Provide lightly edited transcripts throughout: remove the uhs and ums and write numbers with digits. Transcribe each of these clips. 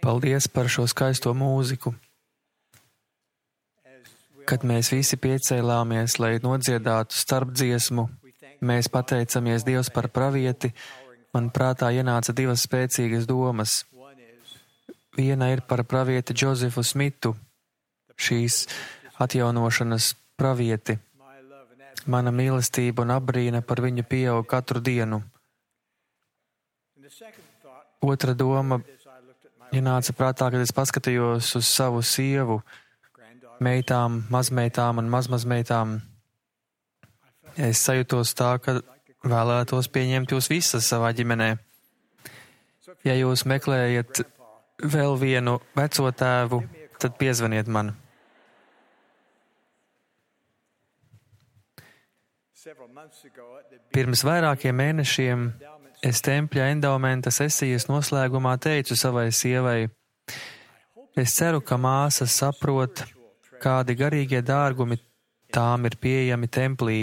Paldies par šo skaisto mūziku. Kad mēs visi piecēlāmies, lai nodziedātu starpdziesmu, mēs pateicamies Dievs par pravieti, man prātā ienāca divas spēcīgas domas. Viena ir par pravieti Džozefu Smitu, šīs atjaunošanas pravieti. Mana mīlestība un apbrīna par viņu pieaug katru dienu. Otra doma ienāca prātā, kad es paskatījos uz savu sievu, meitām, mazmeitām un mazmazmeitām. Es sajūtos tā, ka vēlētos pieņemt jūs visas savā ģimenē. Ja jūs meklējat vēl vienu veco tēvu, tad piezvaniet man. Pirms vairākiem mēnešiem es tempļa endaumenta sesijas noslēgumā teicu savai sievai: es ceru, ka māsas saprot, kādi garīgie dārgumi tām ir pieejami templī.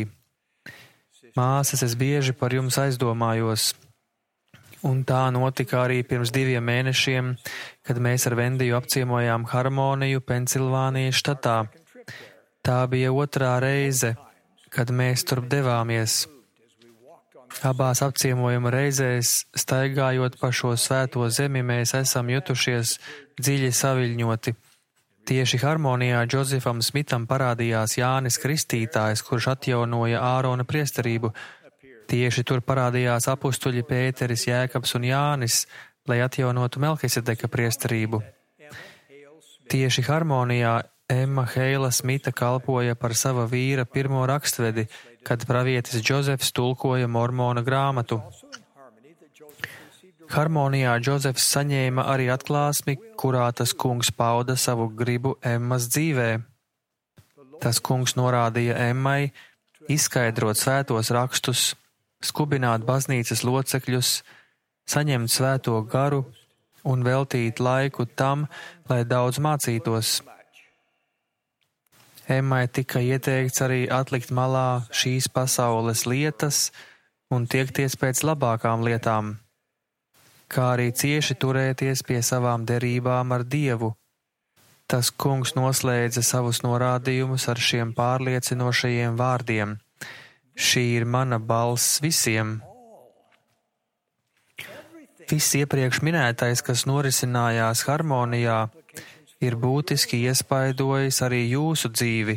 Māsas, es bieži par jums aizdomājos. Un tā notika arī pirms 2 mēnešiem, kad mēs ar Vendiju apciemojām Harmoniju Pensilvānijas štatā. Tā bija 2. reize, kad mēs turp devāmies. Abās apciemojuma reizēs, staigājot pa šo svēto zemi, mēs esam jutušies dziļi saviļņoti. Tieši Harmonijā Džozefam Smitam parādījās Jānis Kristītājs, kurš atjaunoja Ārona priesterību. Tieši tur parādījās apustuļi Pēteris, Jēkabs un Jānis, lai atjaunotu Melkisedeka priesterību. Tieši Harmonijā Emma Heila Smita kalpoja par sava vīra pirmo rakstvedi, kad pravietis Džozefs tulkoja Mormona grāmatu. Harmonijā Džozefs saņēma arī atklāsmi, kurā tas kungs pauda savu gribu Emmas dzīvē. Tas kungs norādīja Emmai izskaidrot svētos rakstus, skubināt baznīcas locekļus, saņemt svēto garu un veltīt laiku tam, lai daudz mācītos. Emmai tika ieteikts arī atlikt malā šīs pasaules lietas un tiekties pēc labākām lietām, kā arī cieši turēties pie savām derībām ar Dievu. Tas kungs noslēdza savus norādījumus ar šiem pārliecinošajiem vārdiem: šī ir mana balss visiem. Viss iepriekš minētais, kas norisinājās Harmonijā, ir būtiski iespaidojis arī jūsu dzīvi.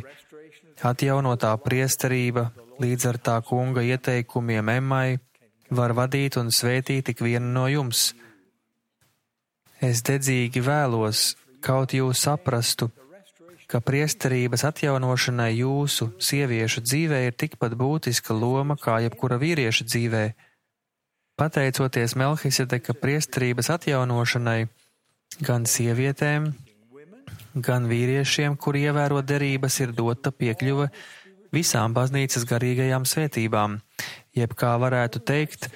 Atjaunotā priesterība līdz ar tā kunga ieteikumiem Emmai var vadīt un svētīt ik vienu no jums. Es dedzīgi vēlos, kaut jūs saprastu, ka priesterības atjaunošanai jūsu sieviešu dzīvē ir tikpat būtiska loma kā jebkura vīrieša dzīvē. Pateicoties Melkisedeka priesterības atjaunošanai, gan sievietēm, gan vīriešiem, kuri ievēro derības, ir dota piekļuve visām baznīcas garīgajām svētībām, jeb kā varētu teikt,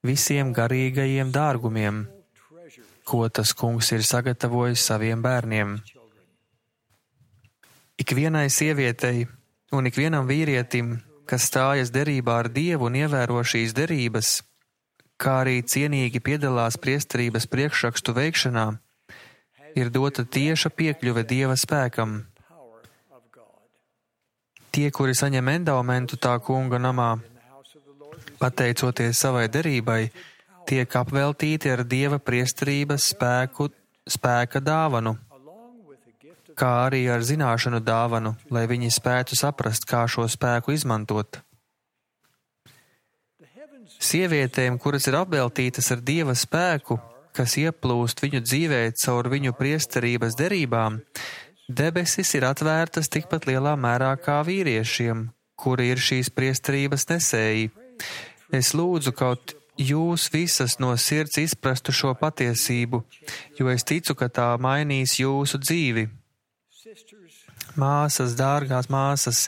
visiem garīgajiem dārgumiem, ko tas kungs ir sagatavojis saviem bērniem. Ikvienai sievietei un ikvienam vīrietim, kas stājas derībā ar Dievu un ievēro šīs derības, kā arī cienīgi piedalās priesterības priekšrakstu veikšanā, ir dota tieša piekļuve Dieva spēkam. Tie, kuri saņem endaumentu tā kunga namā, pateicoties savai derībai, tiek apveltīti ar Dieva priesterības spēka dāvanu, kā arī ar zināšanu dāvanu, lai viņi spētu saprast, kā šo spēku izmantot. Sievietēm, kuras ir apveltītas ar Dieva spēku, kas ieplūst viņu dzīvē caur viņu priesterības derībām, debesis ir atvērtas tikpat lielā mērā kā vīriešiem, kuri ir šīs priesterības nesēji. Es lūdzu, kaut jūs visas no sirds izprastu šo patiesību, jo es ticu, ka tā mainīs jūsu dzīvi. Māsas, dārgās māsas,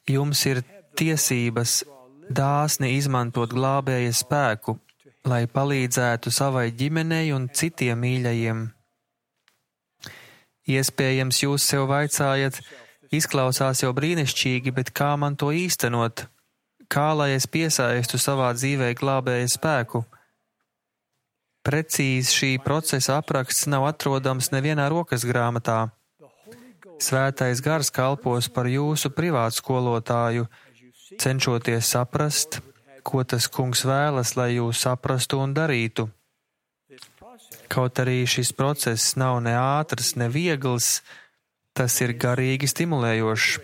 jums ir tiesības dāsni izmantot glābēja spēku, lai palīdzētu savai ģimenei un citiem mīļajiem. Iespējams, jūs sev vaicājat, izklausās jau brīnišķīgi, bet kā man to īstenot? Kā lai es piesaistu savā dzīvē glābēja spēku? Precīzi šī procesa apraksts nav atrodams nevienā rokas grāmatā. Svētais Gars kalpos par jūsu privātskolotāju, cenšoties saprast, ko tas Kungs vēlas, lai jūs saprastu un darītu. Kaut arī šis process nav ne ātrs, ne viegls, tas ir garīgi stimulējošs.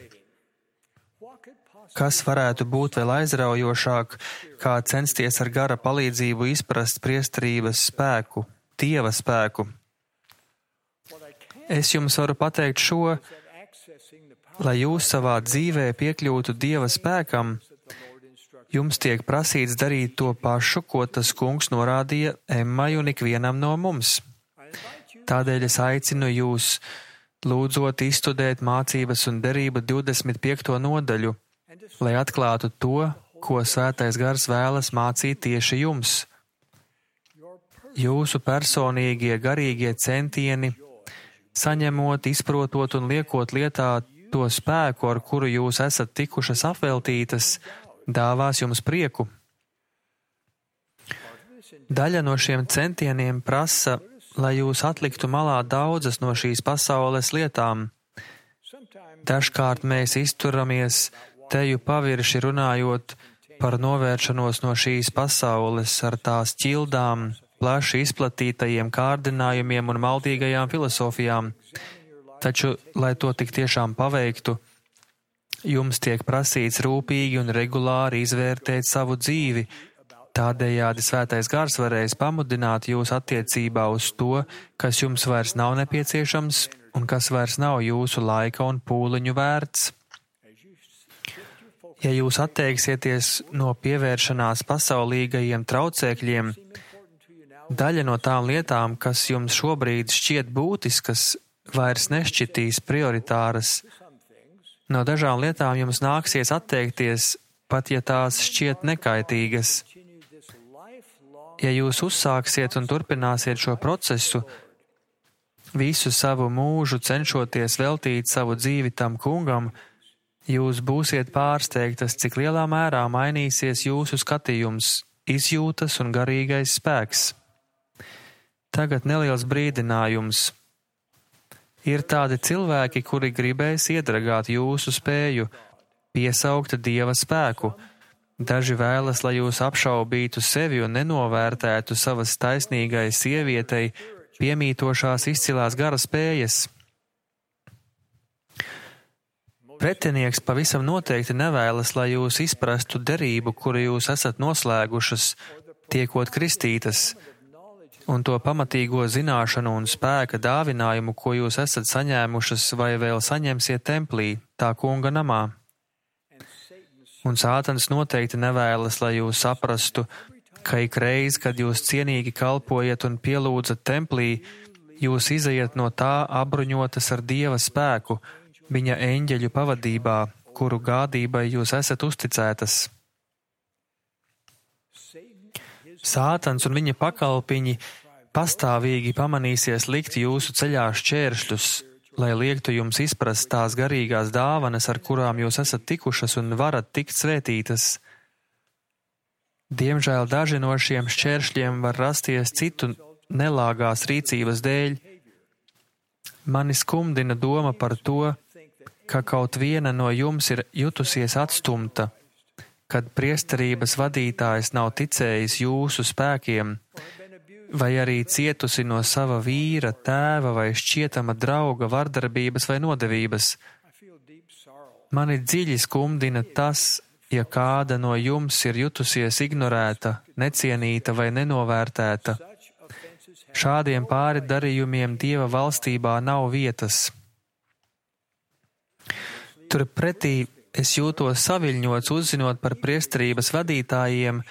Kas varētu būt vēl aizraujošāk, kā censties ar gara palīdzību izprast priesterības spēku, Dieva spēku? Es jums varu pateikt šo, lai jūs savā dzīvē piekļūtu Dieva spēkam, jums tiek prasīts darīt to pašu, ko tas Kungs norādīja Emmai un ikvienam no mums. Tādēļ es aicinu jūs, lūdzot izstudēt mācības un derību 25. nodaļu, lai atklātu to, ko Svētais Gars vēlas mācīt tieši jums. Jūsu personīgie garīgie centieni, saņemot, izprotot un liekot lietā to spēku, ar kuru jūs esat tikušas apveltītas, dāvās jums prieku. Daļa no šiem centieniem prasa, lai jūs atliktu malā daudzas no šīs pasaules lietām. Dažkārt mēs izturamies teju pavirši runājot par novēršanos no šīs pasaules ar tās ķildām, plaši izplatītajiem kārdinājumiem un maldīgajām filosofijām. Taču, lai to tik tiešām paveiktu, jums tiek prasīts rūpīgi un regulāri izvērtēt savu dzīvi. Tādējādi Svētais Gars varēs pamudināt jūs attiecībā uz to, kas jums vairs nav nepieciešams un kas vairs nav jūsu laika un pūliņu vērts. Ja jūs atteiksieties no pievēršanās pasaulīgajiem traucēkļiem, daļa no tām lietām, kas jums šobrīd šķiet būtiskas, vairs nešķitīs prioritāras. No dažām lietām jums nāksies atteikties, pat ja tās šķiet nekaitīgas. Ja jūs uzsāksiet un turpināsiet šo procesu, visu savu mūžu cenšoties veltīt savu dzīvi tam Kungam, jūs būsiet pārsteigtas, cik lielā mērā mainīsies jūsu skatījums, izjūtas un garīgais spēks. Tagad neliels brīdinājums. Ir tādi cilvēki, kuri gribēs iedragāt jūsu spēju, piesaukt Dieva spēku. Daži vēlas, lai jūs apšaubītu sevi un nenovērtētu savas taisnīgai sievietei piemītošās izcilās gara spējas. Pretinieks pavisam noteikti nevēlas, lai jūs izprastu derību, kuru jūs esat noslēgušas, tiekot kristītas, un to pamatīgo zināšanu un spēka dāvinājumu, ko jūs esat saņēmušas vai vēl saņemsiet templī, tā Kunga namā. Un Sātans noteikti nevēlas, lai jūs saprastu, ka ikreiz, kad jūs cienīgi kalpojat un pielūdzat templī, jūs izejat no tā apbruņotas ar Dieva spēku, viņa eņģeļu pavadībā, kuru gādībai jūs esat uzticētas. Sātans un viņa pakalpiņi pastāvīgi pamanīsies likt jūsu ceļā šķēršļus, lai liektu jums izprast tās garīgās dāvanas, ar kurām jūs esat tikušas un varat tikt svētītas. Diemžēl daži no šiem šķēršļiem var rasties citu nelāgās rīcības dēļ. Mani skumdina doma par to, ka kaut viena no jums ir jutusies atstumta, kad priesterības vadītājs nav ticējis jūsu spēkiem, vai arī cietusi no sava vīra, tēva vai šķietama drauga vardarbības vai nodevības. Mani dziļi skumdina tas, ja kāda no jums ir jutusies ignorēta, necienīta vai nenovērtēta. Šādiem pāri darījumiem Dieva valstībā nav vietas. Turpretī es jūtos saviļņots uzzinot par priesterības vadītājiem,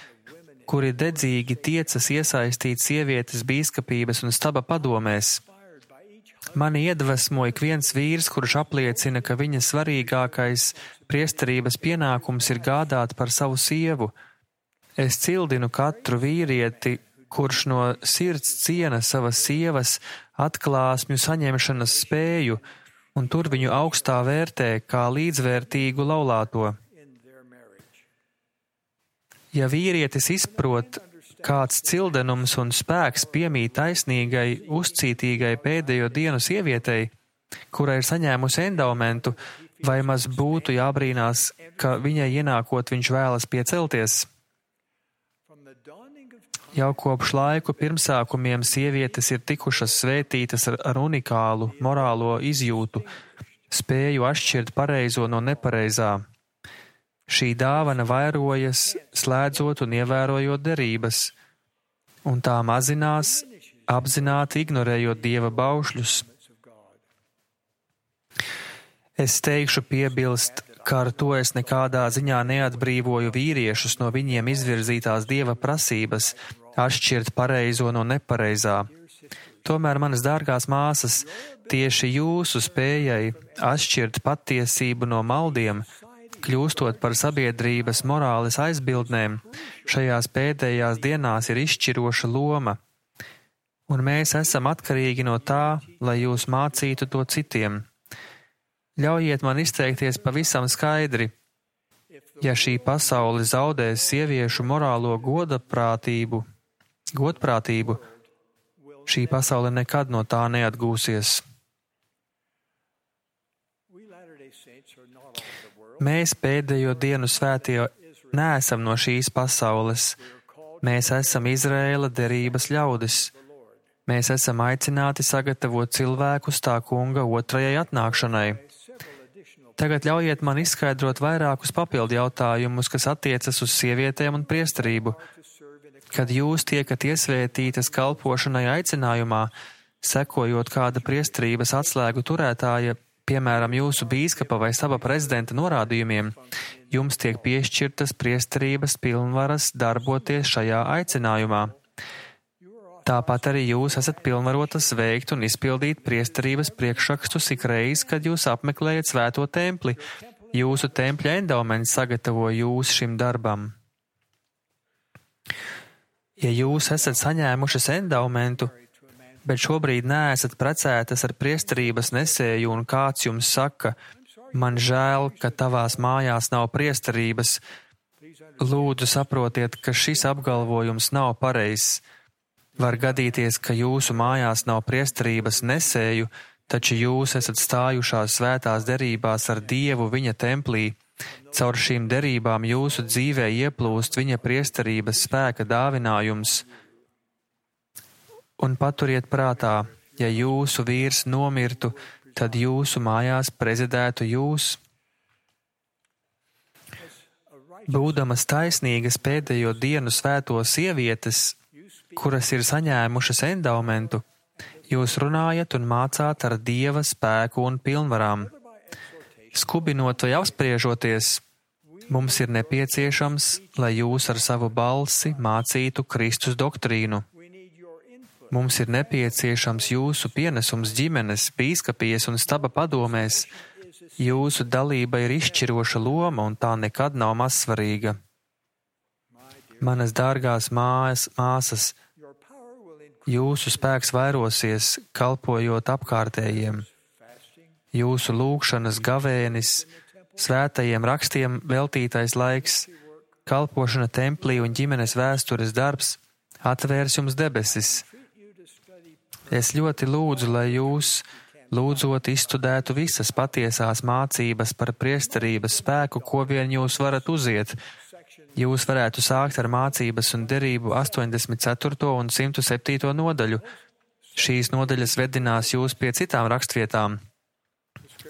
kuri dedzīgi tiecas iesaistīt sievietes bīskapības un staba padomēs. Mani iedvesmo ik viens vīrs, kurš apliecina, ka viņa svarīgākais priesterības pienākums ir gādāt par savu sievu. Es cildinu katru vīrieti, kurš no sirds ciena savas sievas atklāsmju saņemšanas spēju un tur viņu augstā vērtē kā līdzvērtīgu laulāto. Ja vīrietis izprot, kāds cildenums un spēks piemīt taisnīgai, uzcītīgai pēdējo dienu sievietei, kura ir saņēmusi endaumentu, vai maz būtu jābrīnās, ka viņai ienākot viņš vēlas piecelties? Jau kopš laiku pirmsākumiem sievietes ir tikušas svētītas ar unikālu morālo izjūtu, spēju atšķirt pareizo no nepareizā. Šī dāvana vairojas, slēdzot un ievērojot derības, un tā mazinās, apzināti ignorējot Dieva baušļus. Es teikšu piebilst, ka ar to es nekādā ziņā neatbrīvoju vīriešus no viņiem izvirzītās Dieva prasības, atšķirt pareizo no nepareizā. Tomēr, manas dārgās māsas, tieši jūsu spējai atšķirt patiesību no maldiem, kļūstot par sabiedrības morāles aizbildnēm, šajās pēdējās dienās ir izšķiroša loma, un mēs esam atkarīgi no tā, lai jūs mācītu to citiem. Ļaujiet man izteikties pavisam skaidri. Ja šī pasaule zaudēs sieviešu morālo godprātību, šī pasaule nekad no tā neatgūsies. Mēs pēdējo dienu svētie neesam no šīs pasaules. Mēs esam Izraēla derības ļaudis. Mēs esam aicināti sagatavot cilvēkus tā kunga otrajai atnākšanai. Tagad ļaujiet man izskaidrot vairākus papildu jautājumus, kas attiecas uz sievietēm un priesterību. Kad jūs tiekat iesvētītas kalpošanai aicinājumā, sekojot kāda priesterības atslēgu turētāja, piemēram, jūsu bīskapa vai sava prezidenta norādījumiem, jums tiek piešķirtas priesterības pilnvaras darboties šajā aicinājumā. Tāpat arī jūs esat pilnvarotas veikt un izpildīt priesterības priekšrakstus ikreiz, kad jūs apmeklējat svēto templi. Jūsu tempļa endauments sagatavo jūs šim darbam. Ja jūs esat saņēmušas endaumentu, bet šobrīd neesat precētas ar priesterības nesēju un kāds jums saka, man žēl, ka tavās mājās nav priesterības, lūdzu saprotiet, ka šis apgalvojums nav pareizs. Var gadīties, ka jūsu mājās nav priesterības nesēju, taču jūs esat stājušās svētās derībās ar Dievu viņa templī. Caur šīm derībām jūsu dzīvē ieplūst viņa priesterības spēka dāvinājums. Un paturiet prātā, ja jūsu vīrs nomirtu, tad jūsu mājās prezidētu jūs. Būdamas taisnīgas pēdējo dienu svēto sievietes, kuras ir saņēmušas endaumentu, jūs runājat un mācāt ar Dieva spēku un pilnvarām. Skubinot vai apspriežoties, mums ir nepieciešams, lai jūs ar savu balsi mācītu Kristus doktrīnu. Mums ir nepieciešams jūsu pienesums ģimenes, bīskapijas un staba padomēs. Jūsu dalība ir izšķiroša loma un tā nekad nav mazsvarīga. Manas dārgās māsas, jūsu spēks vairosies, kalpojot apkārtējiem. Jūsu lūgšanas gavēnis, svētajiem rakstiem veltītais laiks, kalpošana templī un ģimenes vēstures darbs atvērs jums debesis. Es ļoti lūdzu, lai jūs, lūdzot, izstudētu visas patiesās mācības par priesterības spēku, ko vien jūs varat uziet. Jūs varētu sākt ar mācības un derību 84. un 107. nodaļu. Šīs nodaļas vedinās jūs pie citām rakstvietām.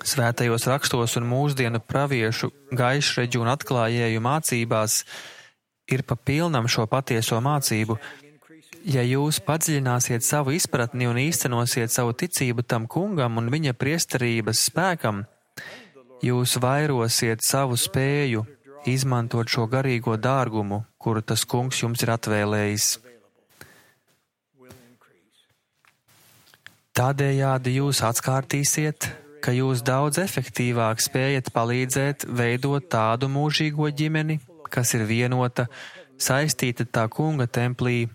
Svētajos rakstos un mūsdienu praviešu, gaišreģu un atklājēju mācībās ir pa pilnam šo patieso mācību. Ja jūs padziļināsiet savu izpratni un īstenosiet savu ticību tam kungam un viņa priesterības spēkam, jūs vairosiet savu spēju izmantot šo garīgo dārgumu, kuru tas kungs jums ir atvēlējis. Tādējādi jūs atkārtīsiet, ka jūs daudz efektīvāk spējat palīdzēt veidot tādu mūžīgo ģimeni, kas ir vienota, saistīta tā kunga templī,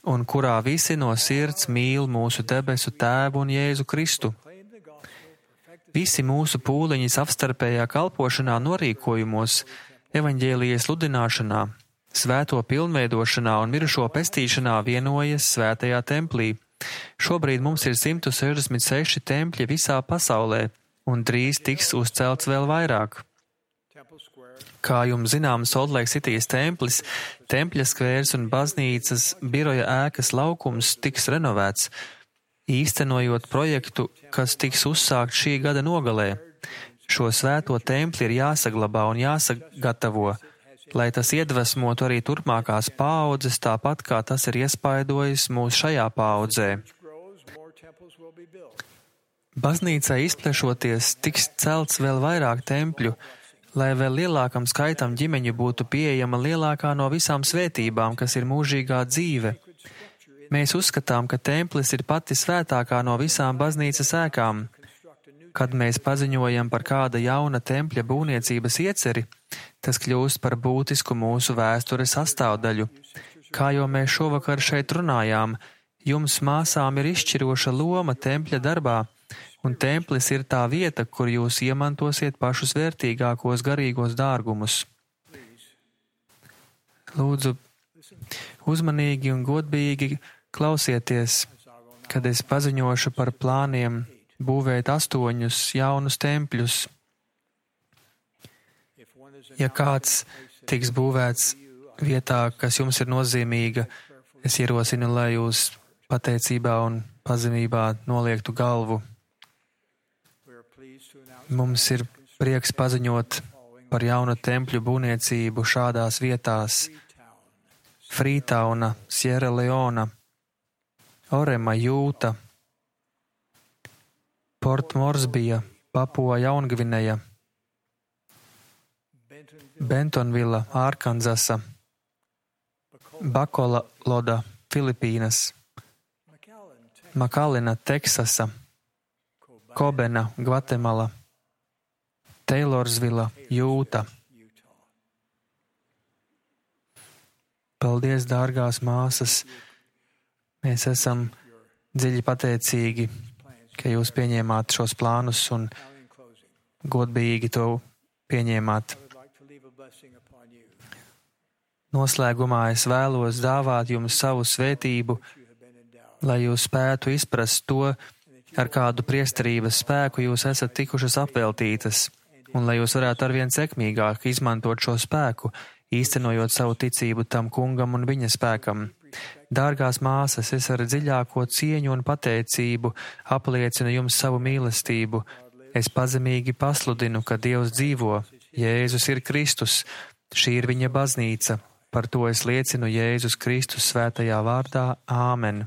un kurā visi no sirds mīl mūsu debesu Tēvu un Jēzu Kristu. Visi mūsu pūliņi savstarpējā kalpošanā norīkojumos, evaņģēlijas sludināšanā, svēto pilnveidošanā un mirušo pestīšanā vienojas svētajā templī. Šobrīd mums ir 166 tempļi visā pasaulē, un drīz tiks uzcelts vēl vairāk. Kā jums zināms, Salt-Lake Citijas templis, tempļa skvērs un baznīcas biroja ēkas laukums tiks renovēts, īstenojot projektu, kas tiks uzsākt šī gada nogalē. Šo svēto templi ir jāsaglabā un jāsagatavo, lai tas iedvesmotu arī turpmākās paaudzes, tāpat kā tas ir iespaidojis mūs šajā paaudzē. Baznīcai izplešoties, tiks celts vēl vairāk tempļu, lai vēl lielākam skaitam ģimeņu būtu pieejama lielākā no visām svētībām, kas ir mūžīgā dzīve. Mēs uzskatām, ka templis ir pati svētākā no visām baznīcas ēkām. Kad mēs paziņojam par kāda jauna tempļa būvniecības ieceri, tas kļūst par būtisku mūsu vēstures sastāvdaļu. Kā jau mēs šovakar šeit runājām, jums māsām ir izšķiroša loma tempļa darbā, un templis ir tā vieta, kur jūs iemantosiet pašus vērtīgākos garīgos dārgumus. Lūdzu, uzmanīgi un godīgi klausieties, kad es paziņošu par plāniem būvēt 8 jaunus tempļus. Ja kāds tiks būvēts vietā, kas jums ir nozīmīga, es ierosinu, lai jūs pateicībā un pazemībā noliektu galvu. Mums ir prieks paziņot par jaunu tempļu būvniecību šādās vietās: Freetowna, Sierra Leona, Orema, Jūta, Port Moresbija, Papua Jaungvineja, Bentonvilla, Arkanzasa, Bakolaloda, Filipīnas, Makalina, Teksasa, Kobena, Gvatemala, Taylorsvilla, Jūta. Paldies, dārgās māsas! Mēs esam dziļi pateicīgi, ka jūs pieņēmāt šos plānus un godīgi to pieņēmāt. Noslēgumā es vēlos dāvāt jums savu svētību, lai jūs spētu izprast to, ar kādu priesterības spēku jūs esat tikušas apveltītas, un lai jūs varētu arvien sekmīgāk izmantot šo spēku, īstenojot savu ticību tam kungam un viņa spēkam. Dārgās māsas, es ar dziļāko cieņu un pateicību apliecinu jums savu mīlestību. Es pazemīgi pasludinu, ka Dievs dzīvo, Jēzus ir Kristus, šī ir viņa baznīca. Par to es liecinu Jēzus Kristus svētajā vārdā. Āmen.